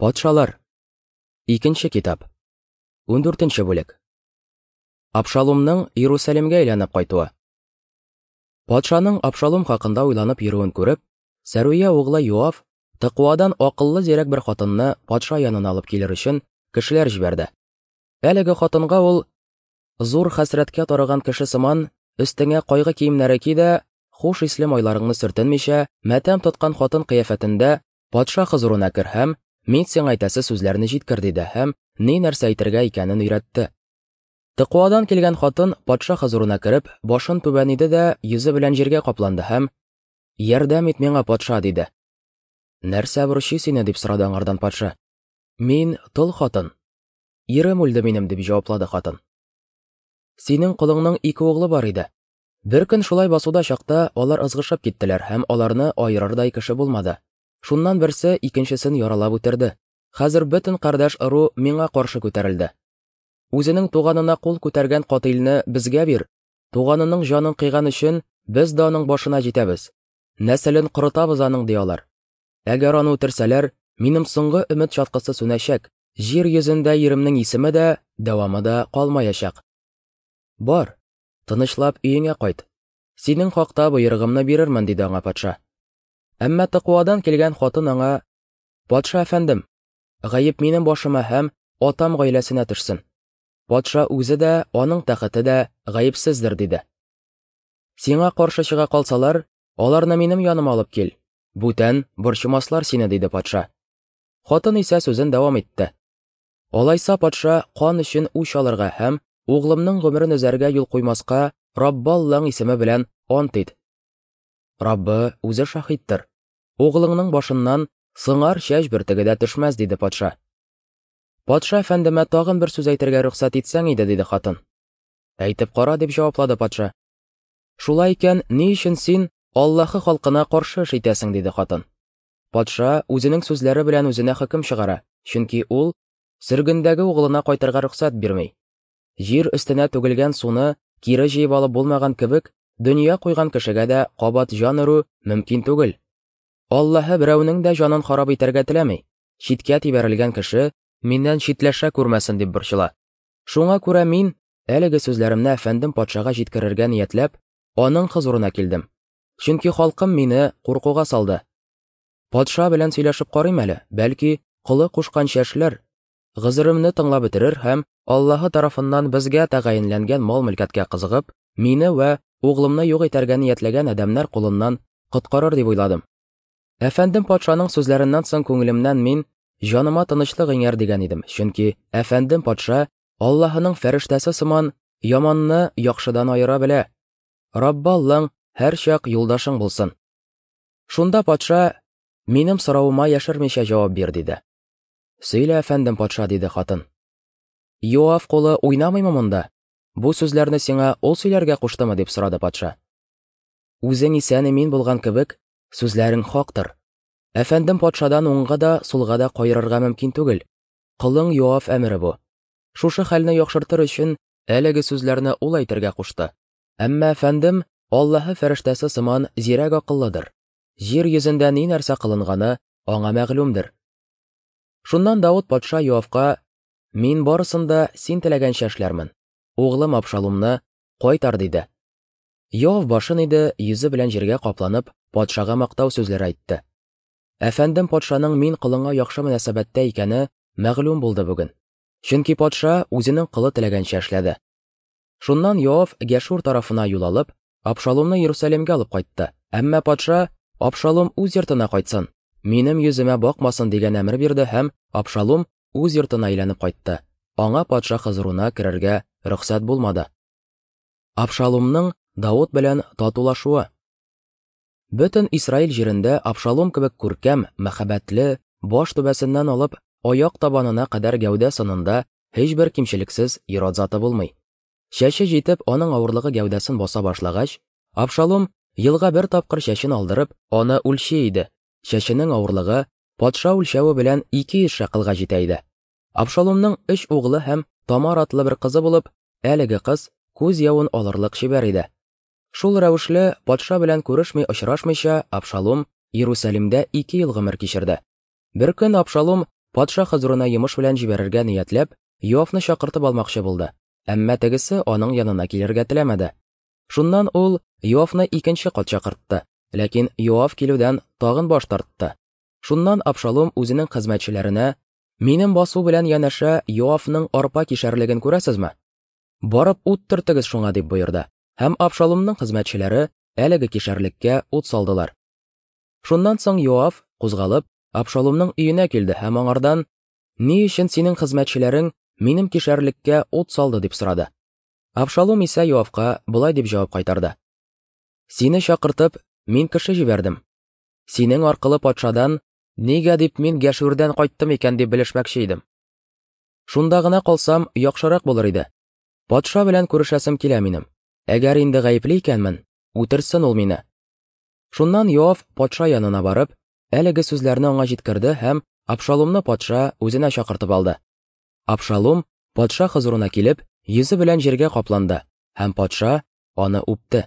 Патшалар. Икенче китап. 14 бүлек. Абшалумның Иерусалимгә әйләнеп кайтуы. Патшаның Абшалум хакында уйланып йөрүен күреп, Сәруя углы Йоав Тыкуадан акыллы зирәк бер хатынны патша янына алып килер өчен кешеләр җибәрде. Әлеге хатынга ул зур хәсрәткә тарыган кеше сыман, өстеңә кайгы киемнәре ки дә, хуш исле майларыңны сөртенмичә, матәм тоткан хатын кыяфәтендә Патша хозурына кер һәм мин сиңа әйтәсе сүзләрне җиткер, диде һәм ни нәрсә әйтергә икәнен өйрәтте. Тыкуадан килгән хатын патша хозурына кереп, башын түбән иде дә йөзе белән җиргә капланды һәм: "Ярдәм ит миңа, патша", диде. "Нәрсә борчый сине?" дип сорады аңардан патша. "Мин тол хатын. Ирем үлде минем", дип җаваплады хатын. "Синең колыңның ике углы бар иде. Бер көн шулай басуда чакта алар ызгышып киттеләр һәм аларны аерырдай кеше булмады. Шуннан берсе икенчесен яралап үтерде. Хәзер бөтен кардәш ыру миңа каршы күтәрелде. Үзенең туганына кул күтәргән катыйльне безгә бир, туганының җанын кыйган өчен без дә аның башына җитәбез. Нәселен корытабыз аның, ди алар. Әгәр аны үтерсәләр, минем соңгы өмет чаткысы сүнәчәк, җир йөзендә иремнең исеме дә, дәвамы да калмаячак. Бар, тынычлап өеңә кайт. Синең хакта боерыгымны бирермен, диде аңа патша. Әмма Тыкуадан килгән хатын аңа: "Патша әфәндем, гаеп минем башыма һәм атам гаиләсенә төшсен. Патша үзе дә, аның тәхете дә гаепсездер", диде. Сиңа каршы чыга калсалар, аларны минем яныма алып кил. Бүтән борчымаслар сине, диде патша. Хатын исә сүзен дәвам итте. Алайса патша кан өчен үч алырга һәм углымның гомерен өзәргә юл куймаска Раббы Аллаң исеме белән ант ит. Раббы үзе шаһиттыр. Углыңның башыннан сыңар чәч бөртеге дә төшмәс, диде патша. Патша әфәндемә тагын бер сүз әйтергә рөхсәт итсәң иде, диде хатын. Әйтеп кара, дип җаваплады патша. Шулай икән, ни өчен син Аллаһы халкына каршы эш итәсең, диде хатын. Патша үзенең сүзләре белән үзенә хөкем чыгара, чөнки ул сөргендәге углына кайтырга рөхсәт бирми. Җир өстенә түгелгән суны кире җыеп алып булмаган кебек, дөнья куйган кешегә дә кабат җан өрү мөмкин түгел. Аллаһы берәүнең дә җанын харап итәргә теләми. Читкә тибәрелгән кеше миннән читләшә күрмәсен дип борчыла. Шуңа күрә мин, әлеге сүзләремне әфәндем патшага җиткерергә ниятләп, аның хозурына килдем. Чөнки халкым мине куркуга салды. Патша белән сөйләшеп карыйм әле, бәлки, колы кушканча эшләр. Гозеремне тыңлап бетерер һәм Аллаһы тарафыннан безгә тәгаенләнгән мал-мөлкәткә кызыгып, мине вә углымны юк итәргә ниятләгән адәмнәр кулыннан коткарыр дип уйладым. Әфәндем патшаның сүзләреннән соң күңелемнән мин җаныма тынычлык иңәр дигән идем, чөнки әфәндем патша Аллаһының фәрештәсе сыман яманны яхшыдан аера белә. Раббы Аллаң һәрчак юлдашың булсын. Шунда патша минем соравыма яшермичә җавап бир, диде. Сөйлә, әфәндем патша, диде хатын. Йоав кулы уйнамыймы монда? Бу сүзләрне сиңа ул сөйләргә куштымы, дип сорады патша. Үзең исән имин булган кебек, сүзләрең хактыр. Әфәндем патшадан уңга да, сулга да каерырга мөмкин түгел. Колың Йоав әмере бу. Шушы хәлне яхшыртыр өчен әлеге сүзләрне ул әйтергә кушты. Әмма әфәндем Аллаһы фәрештәсе сыман зирәк акыллыдыр. Җир йөзендә ни нәрсә кылынганы аңа мәгълүмдер. Шуннан Давыт патша Йоавка: "Мин барысын да син теләгәнчә эшләрмен. Углым Абшалумны кайтар", диде. Йоав башын иде, йөзе белән җиргә капланып, патшага мактау сүзләре әйтте. Әфәндем патшаның мин колыңа яхшы мөнәсәбәттә икәне мәгълүм булды бүген. Чөнки патша үзенең колы теләгәнчә эшләде. Шуннан Йоав Гәшур тарафына юл алып, Абшалумны Иерусалимгә алып кайтты. Әмма патша Абшалум үз йортына кайтсын, минем йөземә бакмасын дигән әмер бирде һәм Абшалум үз йортына әйләнеп кайтты. Аңа патша хозурына керергә рөхсәт булмады. Абшалумның Давыт белән татулашуы. Бөтен Исраил җирендә Абшалум кебек күркәм, мәхәббәтле, баш түбәсеннән алып аяк табанына кадәр гәүдә сынында һичбер кимчелексез ир-ат заты булмый. Чәче җитеп, аның авырлыгы гәүдәсен баса башлагач, Абшалум елга бер тапкыр чәчен алдырып, аны үлчи иде. Чәченең авырлыгы патша үлчәве белән 200 шәкылга җитә иде. Абшалумның өч углы һәм Тамар атлы бер кызы булып, әлеге кыз күз явын алырлык чибәр иде. Шул рәвешле патша белән күрешми очрашмыйча Абшалум Иерусалимдә 2 ел гомер кичерде. Бер көн Абшалум патша хозурына йомыш белән җибәрергә ниятләп, Йоавны чакыртып алмакчы булды, әмма тегесе аның янына килергә теләмәде. Шуннан ул Йоавны икенче кат чакыртты, ләкин Йоав килүдән тагын баш тартты. Шуннан Абшалум үзенең хезмәтчеләренә: "Минем басу белән янәшә Йоавның арпа кишәрлеген күрәсезме? Барып ут төртегез шуңа", дип боерды. Һәм Абшалумның хезмәтчеләре әлеге кишәрлеккә ут салдылар. Шуннан соң Йоав, кузгалып, Абшалумның өенә килде һәм аңардан: "Ни өчен синең хезмәтчеләрең минем кишәрлеккә ут салды?" дип сорады. Абшалум исә Йоавка болай дип җавап кайтарды: "Сине чакыртып, мин кеше җибәрдем. Синең аркылы патшадан, нигә дип мин Гәшүрдән кайттым икән дип белешмәкче идем. Шунда гына калсам, яхшырак булыр иде. Патша белән күрешәсем килә минем. Әгәр инде гаепле икәнмен, үтерсен ул мине. Шуннан Йоав патша янына барып, әлеге сүзләрне аңа җиткерде һәм Абшалумны патша үзенә чакыртып алды. Абшалум патша хозурына килеп, йөзе белән җиргә капланды, һәм патша аны үпте.